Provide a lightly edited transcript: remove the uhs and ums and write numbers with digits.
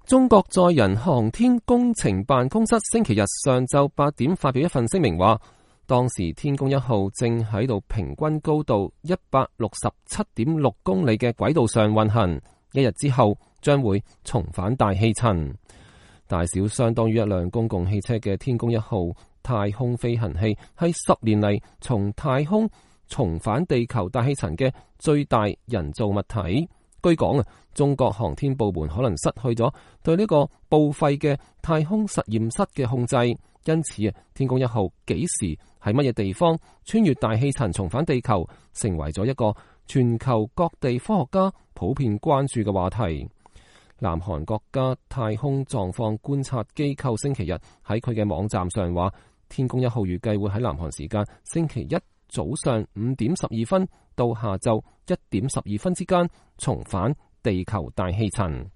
中國載人航天工程辦公室星期日上晝8點發表一份聲明話，當時天宮1號正喺度平均高度167.6公里嘅軌道上運行，一日之後將會重返大氣層。大小相當於一輛公共汽車嘅天宮1號太空飛行器係10年嚟從太空重返地球大氣層嘅最大人造物體。據講中國航天部門可能失去咗對呢個報廢嘅太空實驗室嘅控制，因此天宮1號幾時喺乜嘢地方穿越大氣層重返地球，成為咗一個全球各地科學家普遍關注嘅話題。南韓國家太空狀況觀察機構星期日喺佢嘅網站上話，天宮1號預計會喺南韓時間星期一早上5點12分到下晝1點12分之間重返地球大氣層。